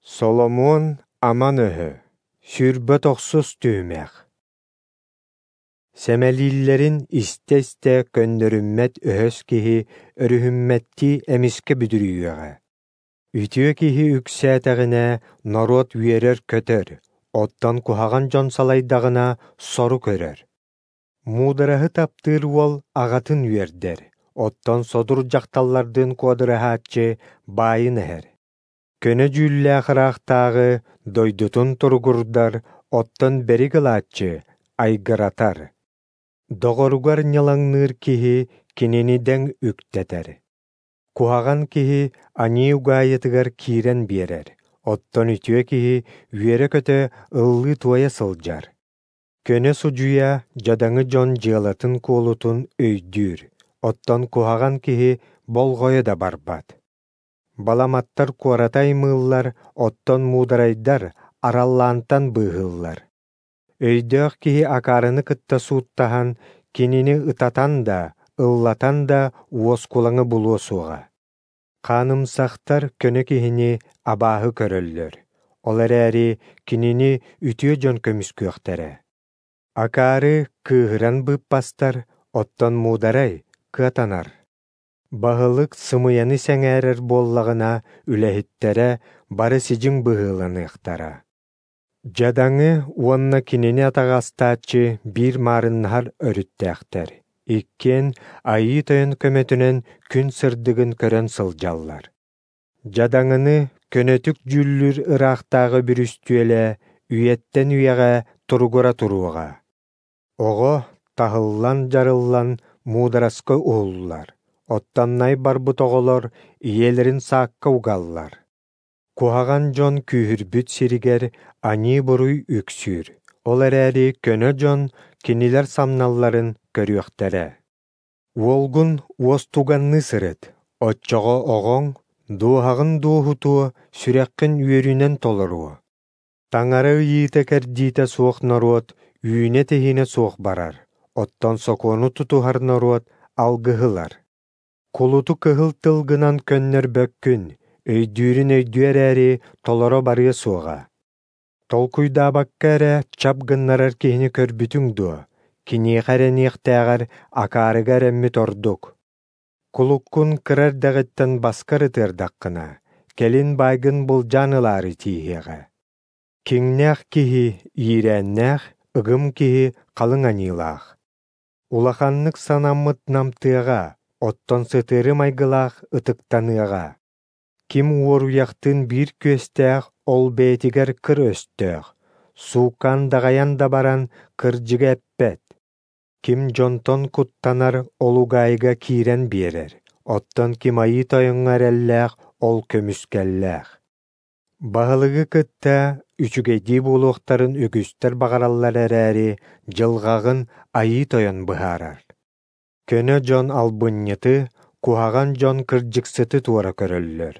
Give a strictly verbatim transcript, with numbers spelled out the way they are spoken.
Соломуон аман өһө, сүүрбэ тохсус түһүмэх. Сэмэлииллэрин истэ-истэ көннөрүммэт өһөс киһи өрүһүммэттии эмискэ бүдүрүйүөҕэ. Үтүө киһи үксээтэҕинэ норуот үөрэр-көтөр, оттон куһаҕан дьон салайдаҕына сору көрөр. Муудараһы таптыыр уол аҕатын үөрдэр, оттон содур дьахталлардыын куодураһааччы баайын эһэр. Көнө дьүүллээх ыраахтааҕы дойдутун туругурдар, оттон бэрик ылааччы айгыратар. Доҕоругар ньылаҥныыр киһи кинини дэҥ үктэтэр. Куһаҕан киһи аньыы угаайытыгар киирэн биэрэр, оттон үтүө киһи үөрэ-көтө ыллыы-туойа сылдьар. Көнө судьуйа дьадаҥы дьон дьыалатын-куолутун өйдүүр, оттон куһаҕан киһи болҕойо да барбат. Баламаттар куораты аймыыллар, оттон муударайдар араллаантан быыһыыллар. Өйдөөх киһи акаарыны кытта сууттаһан, кинини ытатан да, ыллатан да уоскулаҥы булуо суоҕа. Хаанымсахтар көнө киһини абааһы көрөллөр, ол эрээри кинини үтүө дьон көмүскүөхтэрэ. Акаары кыыһыран быыппастар, оттон муударай кыатанар. Баһылык сымыйаны сэҥээрэр буоллаҕына, үлэһиттэрэ бары сидьиҥ быһыыланыахтара. Дьадаҥы уонна кинини атаҕастааччы биир маарыннаһар өрүттээхтэр, иккиэн Айыы Тойон көмөтүнэн күн сырдыгын көрөн сылдьаллар. Дьадаҥыны көнөтүк дьүүллүүр ыраахтааҕы бүрүстүөлэ үйэттэн үйэҕэ туругура туруоҕа. Оҕо таһыллан-дьарыллан муудараска уһуллар, оттон най барбыт оҕолор ийэлэрин саакка угаллар. Куһаҕан дьон күүһүрбүт сиригэр аньыы-буруй үксүүр, ол эрээри көнө дьон кинилэр самналларын көрүөхтэрэ. Уолгун уостуганныы сырыт, оччоҕо оҕоҥ дууһаҕын дуоһутуо, сүрэххин үөрүүнэн толоруо. Таҥара ыйыыта-кэрдиитэ суох норуот үүнэ-тэһиинэ суох барар, оттон сокуону тутуһар норуот алгыһы ылар. Кулуту кыһыл тылгынан көннөрбөккүн, өйдүүрүн өйдүө эрээри толоро барыа суоҕа. Толкуйдаабакка эрэ чап гыннарар киһини көрбүтүҥ дуо? Киниэхэ эрэниэхтээҕэр акаарыга эрэммит ордук. Кулуккун кыра эрдэҕиттэн баскар ытыардаххына, кэлин баайгын былдьаан ылаары тииһиэҕэ. Киҥнээх киһи иирээннээх, ыгым киһи халыҥ аньыылаах. Улаханнык санаммыт намтыаҕа, оттон сытыары майгылаах ытыктаныаҕа. Ким уоруйахтыын биир күөстээх, ол бэйэтигэр кыр өстөөх, сууккаан даҕайан да баран кырдьыгы эппэт. Ким дьонтон куттанар, ол угаайыга киирэн биэрэр, оттон ким Айыы Тойоҥҥо эрэллээх, ол көмүскэллээх. Баһылыгы кытта үчүгэйдии буолуохтарын үгүстэр баҕараллар эрээри, дьылҕаҕын Айыы Тойон быһаарар. Көнө дьон албынньыты, куһаҕан дьон кырдьыксыты туора көрөллөр.